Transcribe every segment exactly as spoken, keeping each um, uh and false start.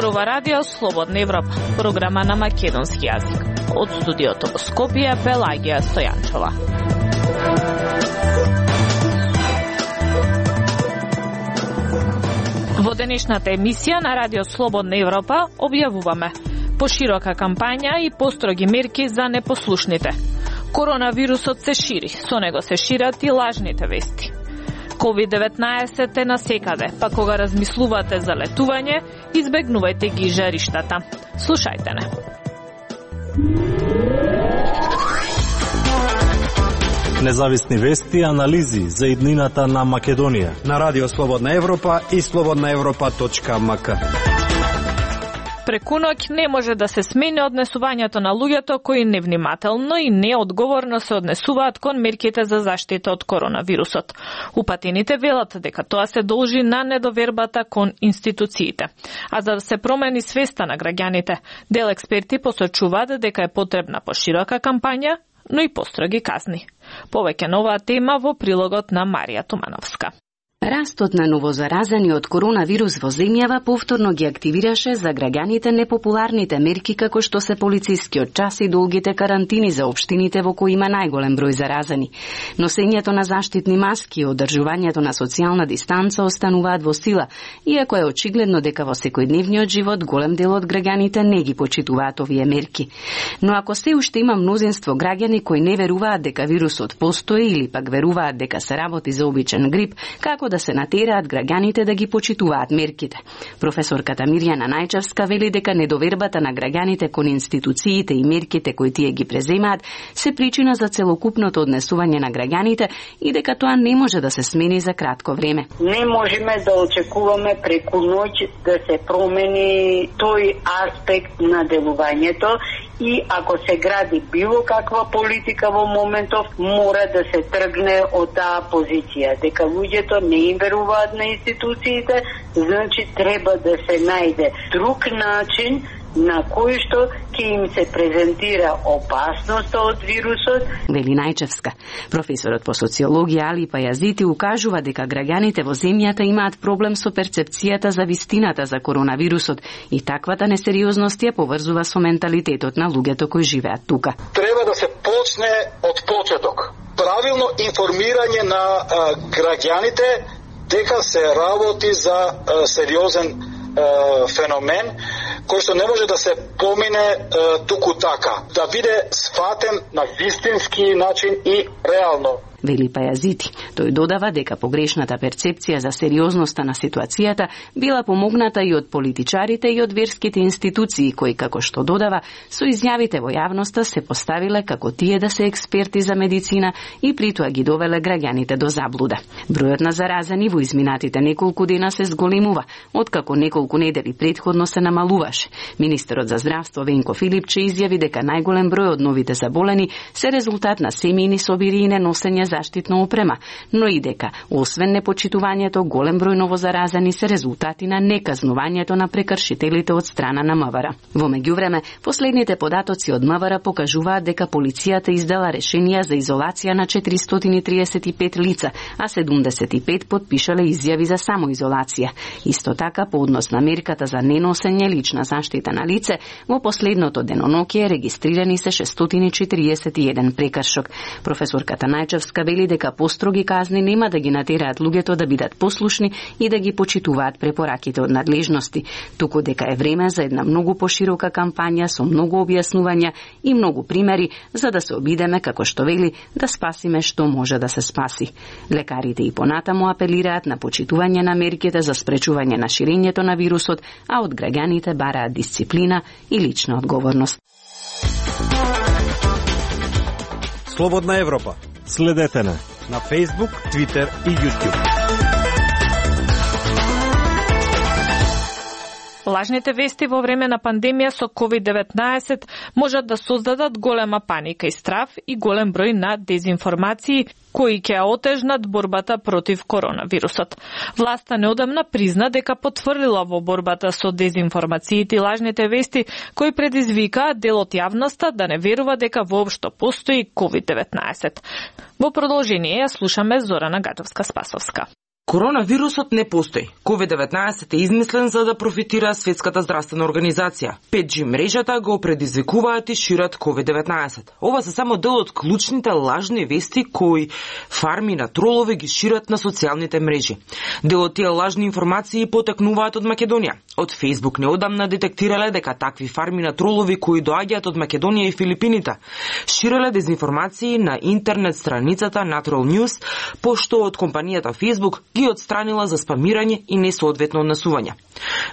Зборува Радио Слободна Европа, програма на македонски јазик. Од студиото во Скопје, Пелагија Стојанчова. Во денешната емисија на Радио Слободна Европа објавуваме поширока кампања и построги мерки за непослушните. Коронавирусот се шири, со него се шират и лажните вести. ковид деветнаесет е насекаде, па кога размислувате за летување, избегнувајте ги жариштата. Слушајте не. Независни вести и анализи за иднината на Македонија на Радио Слободна Европа и слободна европа точка ем ка. Преку ноќ не може да се смени однесувањето на луѓето кои невнимателно и неодговорно се однесуваат кон мерките за заштита од коронавирусот. Упатените велат дека тоа се должи на недовербата кон институциите. А за да се промени свеста на граѓаните, дел експерти посочуваат дека е потребна поширока кампања, но и построги казни. Повеќе на оваа тема во прилогот на Марија Тумановска. Растот на новозаразени од коронавирус во земјава повторно ги активираше за граѓаните непопуларните мерки како што се полицискиот час и долгите карантини за општините во кои има најголем број заразени. Носењето на заштитни маски и одржувањето на социјална дистанца остануваат во сила, иако е очигледно дека во секојдневниот живот голем дел од граѓаните не ги почитуваат овие мерки. Но ако се уште има мнозинство граѓани кои не веруваат дека вирусот постои или пак веруваат дека се работи за обичен грип, како да се натераат граѓаните да ги почитуваат мерките. Професорката Мирјана Најчевска вели дека недовербата на граѓаните кон институциите и мерките кои тие ги преземаат се причина за целокупното однесување на граѓаните и дека тоа не може да се смени за кратко време. Не можеме да очекуваме преку ноќ да се промени тој аспект на делувањето и ако се гради било каква политика во моментов, мора да се тргне од таа позиција, дека луѓето не им веруваат на институциите, значи треба да се најде друг начин на кој што ќе им се презентира опасноста од вирусот. Вели Најчевска. Професорот по социологија Али Пајазити укажува дека граѓаните во земјата имаат проблем со перцепцијата за вистината за коронавирусот и таквата несериозност ја поврзува со менталитетот на луѓето кои живеат тука. Треба да се почне од почеток. Правилно информирање на а, граѓаните дека се работи за а, сериозен а, феномен кој што не може да се помине е, туку така, да биде сфатен на вистински начин и реално. Вели Пајазити. Тој додава дека погрешната перцепција за сериозноста на ситуацијата била помогната и од политичарите и од верските институции кои, како што додава, со изјавите во јавноста се поставиле како тие да се експерти за медицина и притоа ги довеле граѓаните до заблуда. Бројот на заразени во изминатите неколку дена се зголемува, откако неколку недели претходно се намалуваше. Министерот за здравство Венко Филипче изјави дека најголем број од новите заболени се резултат на семејни собири и неносење заштитна опрема, но и дека, освен непочитувањето, голем број новозаразени се резултати на неказнувањето на прекршителите од страна на МВР. Во меѓувреме, последните податоци од МВР покажуваат дека полицијата издала решенија за изолација на четиристотини и триесет и пет лица, а седумдесет и пет потпишале изјави за самоизолација. Исто така, по однос на мерката за неносење лична заштита на лице, во последното деноноќие регистрирани се шестстотини и четириесет и еден прекршок. Професорката Најчевска вели дека построги казни нема да ги натераат луѓето да бидат послушни и да ги почитуваат препораките од надлежности, туку дека е време за една многу поширока кампања со многу објаснувања и многу примери за да се обидеме, како што вели, да спасиме што може да се спаси. Лекарите и понатаму апелираат на почитување на мерките за спречување на ширењето на вирусот, а од граѓаните бараат дисциплина и лична одговорност. Слободна Европа. Следете на на Facebook, Twitter и YouTube. Лажните вести во време на пандемија со ковид деветнаесет можат да создадат голема паника и страф и голем број на дезинформации кои ќе отежнат борбата против коронавирусот. Власта неодамна призна дека потврдила во борбата со дезинформациите и лажните вести кои предизвикаа дел од јавноста да не верува дека воопшто постои ковид деветнаесет. Во продолжение ја слушаме Зорана Гадовска-Спасовска. Коронавирусот не постои. ковид деветнаесет е измислен за да профитира Светската здравствена организација. пет джи мрежата го предизвикуваат и шират ковид деветнаесет. Ова се само дел од клучните лажни вести кои фарми на тролови ги шират на социјалните мрежи. Дел од тие лажни информации потекнуваат од Македонија. Од Facebook неодамна детектирале дека такви фарми на тролови кои доаѓаат од Македонија и Филипините ширеле дезинформации на интернет страницата Natural News, пошто од компанијата Facebook ги отстранила за спамирање и несоодветно однесување.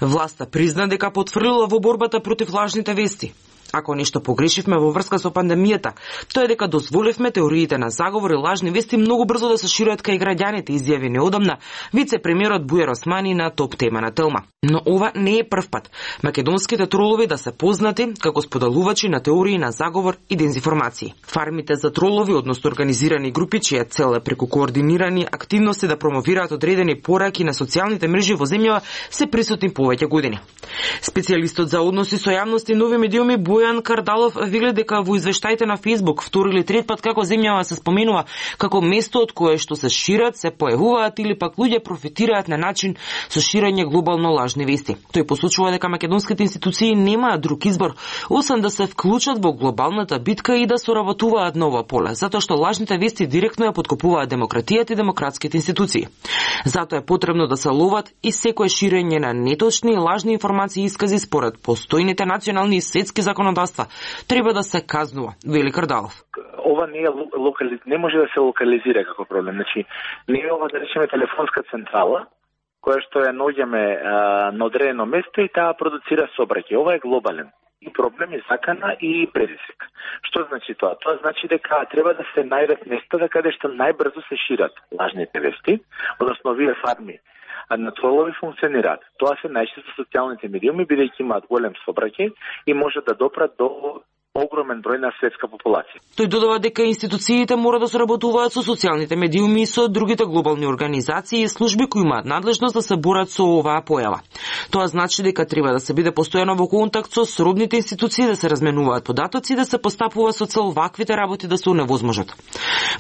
Власта призна дека потврдила во борбата против лажните вести. Ако нешто погрешивме во врска со пандемијата, тоа е дека дозволивме теориите на заговор и лажни вести многу брзо да се шират кај граѓаните, изјави неодамна вице-премиерот Бујар Османи на топ тема на Телма. Но ова не е прв пат македонските тролови да се познати како споделувачи на теории на заговор и дезинформации. Фармите за тролови, односно организирани групи чија цел е преку координирани активности да промовираат одредени пораки на социјалните мрежи во земјава, се присутни повеќе години. Специјалистот за односи со јавност и нови медиуми Бојан Кардалов вели дека во извештаите на Facebook втори или трет пат како земјава се споменува како место од кое што се шират, се појавуваат или пак луѓе профитираат на начин со ширење глобално лажни вести. Тој посочува дека македонските институции немаат друг избор освен да се вклучат во глобалната битка и да соработуваат на ова поле, затоа што лажните вести директно ја поткопуваат демократијата и демократските институции. Затоа е потребно да се ловат и секое ширење на неточни и лажни информации и искази според постојните национални и светски законодавства треба да се казнува, вели Кардалов. Ова не е локали... не може да се локализира како проблем. Значи, не е ова да речеме телефонска централа која што ја наоѓаме на одредено место и таа продуцира сообраќај. Ова е глобален и проблем и закана и предизвик. Што значи тоа? Тоа значи дека треба да се најдат места каде што најбрзо се шират лажните вести, односно овие фарми на тролови функционираат. Тоа се најчесто социјалните медиуми, бидејќи имаат голем сообраќај и може да допрат до огромен број на светска популација. Тој додава дека институциите мора да соработуваат со социјалните медиуми и со другите глобални организации и служби кои имаат надлежност да се борат со оваа појава. Тоа значи дека треба да се биде постојано во контакт со сродните институции, да се разменуваат податоци и да се постапува со цел ваквите работи да се оневозможат.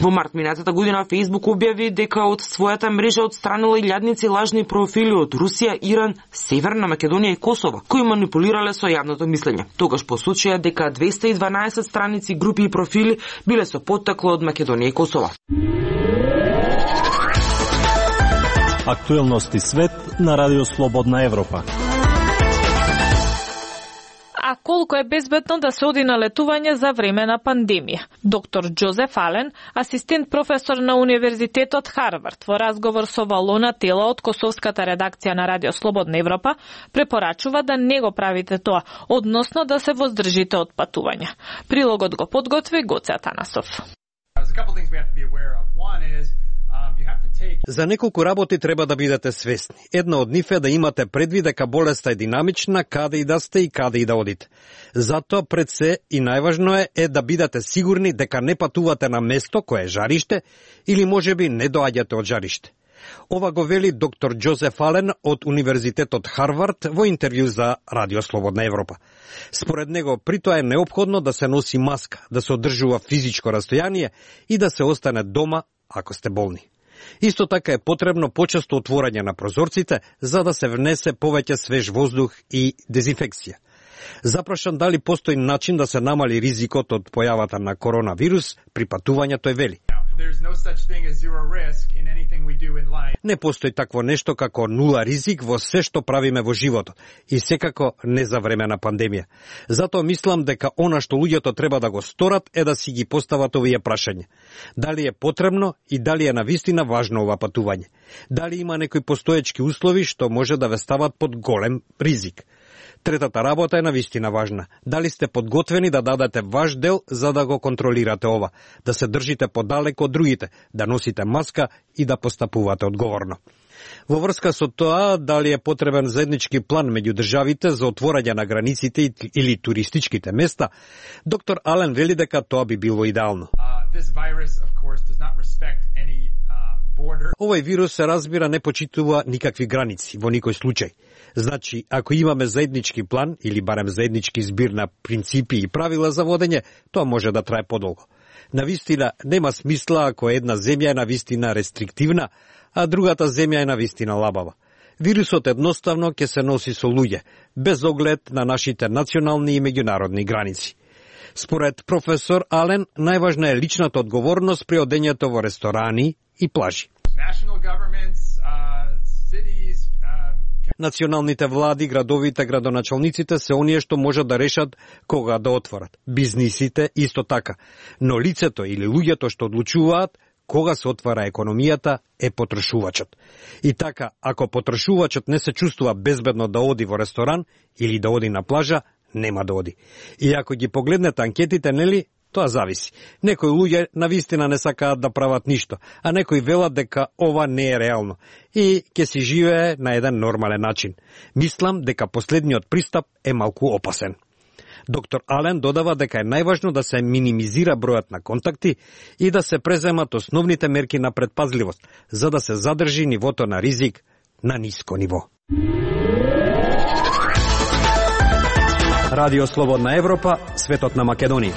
Во март минатата година Facebook објави дека од својата мрежа отстранила илјадници лажни профили од Русија, Иран, Северна Македонија и Косово, кои манипулирале со јавното мислење. Тогаш посочија дека двесте и дванаесет страници, групи и профили биле со поттекло од Македонија и Косово. Актуелности свет на Радио Слободна Европа. А колку е безбедно да се оди на летување за време на пандемија? Доктор Џозеф Ален, асистент професор на Универзитетот Харвард, во разговор со Валона Тела од косовската редакција на Радио Слободна Европа, препорачува да не го правите тоа, односно да се воздржите од патување. Прилогот го подготви Гоце Атанасов. За неколку работи треба да бидете свесни. Една од нив е да имате предвид дека болеста е динамична, каде и да сте и каде и да одите. Затоа пред се и најважно е, е да бидете сигурни дека не патувате на место кое е жариште или можеби не доаѓате од жариште. Ова го вели доктор Џозеф Ален од Универзитетот Харвард во интервју за Радио Слободна Европа. Според него, при тоа е неопходно да се носи маска, да се одржува физичко растојание и да се остане дома ако сте болни. Исто така е потребно почесто отворање на прозорците за да се внесе повеќе свеж воздух и дезинфекција. Запрашан дали постои начин да се намали ризикот од појавата на коронавирус при патувањето, е вели: не постои такво нешто како нула ризик во се што правиме во животот и секако не за време на пандемија. Затоа мислам дека она што луѓето треба да го сторат е да си ги постават овие прашања. Дали е потребно и дали е навистина важно ова патување? Дали има некои постоечки услови што може да ве стават под голем ризик? Третата работа е навистина важна. Дали сте подготвени да дадете ваш дел за да го контролирате ова, да се држите подалеку од другите, да носите маска и да постапувате одговорно. Во врска со тоа, дали е потребен заеднички план меѓу државите за отворање на границите или туристичките места, доктор Ален вели дека тоа би било идеално. Овој вирус, се разбира, не почитува никакви граници во никој случај. Значи, ако имаме заеднички план или барем заеднички збир на принципи и правила за водење, тоа може да трае подолго. Навистина нема смисла ако една земја е навистина рестриктивна, а другата земја е навистина лабава. Вирусот едноставно ќе се носи со луѓе, без оглед на нашите национални и меѓународни граници. Според професор Ален, најважна е личната одговорност при одењето во ресторани и плажи. Националните влади, градовите, градоначалниците се оние што можат да решат кога да отворат. Бизнисите исто така. Но лицето или луѓето што одлучуваат кога се отвара економијата е потрошувачот. И така, ако потрошувачот не се чувствува безбедно да оди во ресторан или да оди на плажа, нема да оди. И ако ги погледнете анкетите, нели, тоа зависи. Некои луѓе навистина не сакаат да прават ништо, а некои велат дека ова не е реално и ќе си живее на еден нормален начин. Мислам дека последниот пристап е малку опасен. Доктор Ален додава дека е најважно да се минимизира бројот на контакти и да се преземат основните мерки на предпазливост, за да се задржи нивото на ризик на ниско ниво. Радио Слободна Европа, светот на Македонија.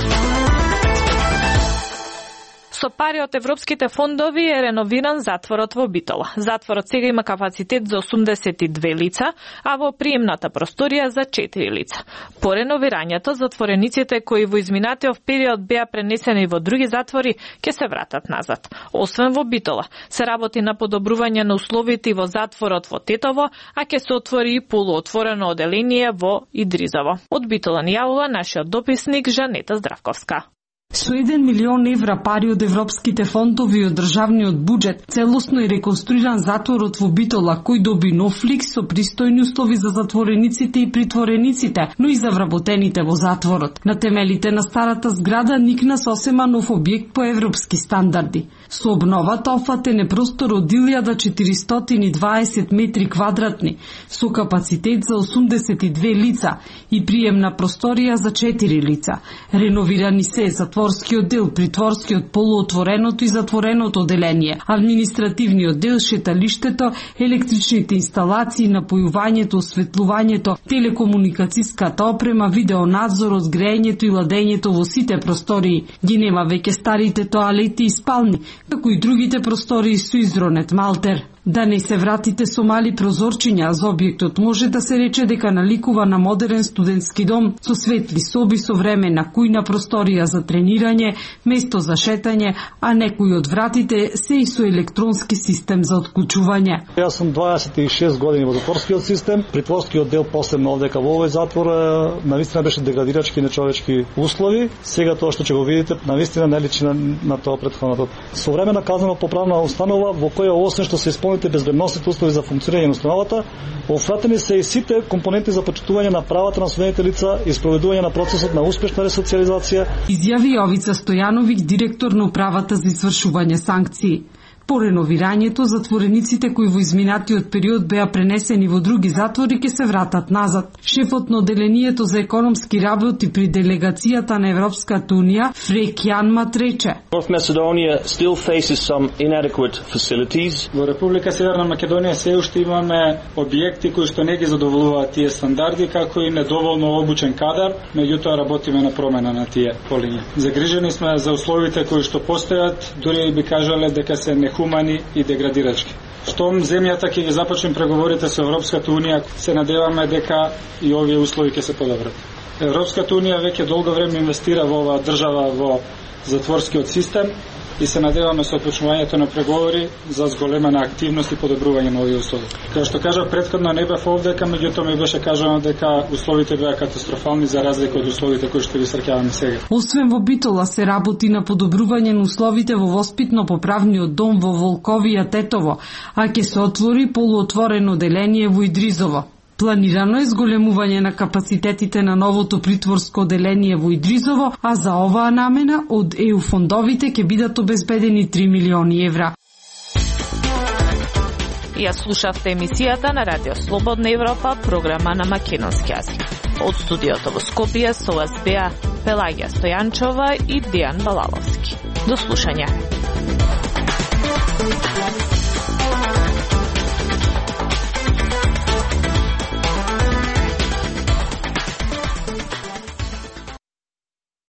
Со пари од европските фондови е реновиран затворот во Битола. Затворот сега има капацитет за осумдесет и две лица, а во приемната просторија за четири лица. По реновирањето, затворениците кои во изминатиот период беа пренесени во други затвори ќе се вратат назад. Освен во Битола, се работи на подобрување на условите и во затворот во Тетово, а ќе се отвори и полуотворено оделение во Идризово. Од Битола ни јавува нашиот дописник Жанета Здравковска. Со еден милион евра пари од европските фондови и од државниот буџет, целосно е реконструиран затворот во Битола, кој доби нов лик со пристојни услови за затворениците и притворениците, но и за вработените во затворот. На темелите на старата зграда никна сосема нов објект по европски стандарди. Со обновата офатен е простор од илјада четиристотини и дваесет метри квадратни, со капацитет за осумдесет и две лица и приемна просторија за четири лица. Реновирани се затворскиот дел, притворскиот, полуотвореното и затвореното оделение, административниот дел, шеталиштето, електричните инсталации, напојувањето, осветлувањето, телекомуникацијската опрема, видеонадзорот, грејењето и ладењето во сите простории. Ги нема веќе старите тоалети и спални, како и другите простории со изронет малтер. Да не се вратите со мали прозорчиња, за објектот може да се рече дека наликува на модерен студентски дом со светли соби, со времена кујна просторија за тренирање, место за шетање, а некои од вратите се и со електронски систем за отклучување. Јас сум дваесет и шест години во затворскиот систем, притворскиот дел посебно овдека во овој затвор навистина беше деградирачки и нечовечки услови. Сега тоа што ќе го видите навистина не личи на, на тоа претходното. Современа казнено поправна установа во која освен што се исполните безбедносните услови за функционирање на установата, офатени се и сите компоненти за почитување на правата на осудените лица и спроведување на процесот на успешна ресоциализација. Изјави Јовица Стојановиќ, директор на управата за извршување санкции. По реновирањето, затворениците кои во изминатиот период беа пренесени во други затвори ќе се вратат назад. Шефот на оделението за економски работи при делегацијата на Европската унија, Фрек Јанмат, рече: North Macedonia still faces some inadequate facilities. Во Република Северна Македонија се уште имаме објекти кои што не ги задоволуваат тие стандарди, како и недоволно обучен кадар, меѓутоа работиме на промена на тие полиња. Загрижени сме за условите кои што постојат, дури би кажале дека се нехумани и деградирачки. Штом земјата ќе ги започне преговорите со Европската унија, се надеваме дека и овие услови ќе се подобрат. Европската унија веќе долго време инвестира во оваа држава во затворскиот систем и се надеваме со почнувањето на преговори за зголемена активност и подобрување на овие услови. Како што кажав претходно, не бев овдека, меѓутоа ми беше кажано дека условите беа катастрофални за разлика од условите кои што ги среќаваме сега. Освен во Битола се работи на подобрување на условите во воспитно-поправниот дом во Волковија Тетово, а ќе се отвори полуотворено оделение во Идризово. Планирано е зголемување на капацитетите на новото притворско оделение во Идризово, а за оваа намена од е у фондовите ќе бидат обезбедени три милиони евра. Ја слушавте емисијата на Радио Слободна Европа, програма на македонски јазик. Од студиото во Скопје со вас беа Пелагија Стојанчова и Дијан Балаловски. До слушање.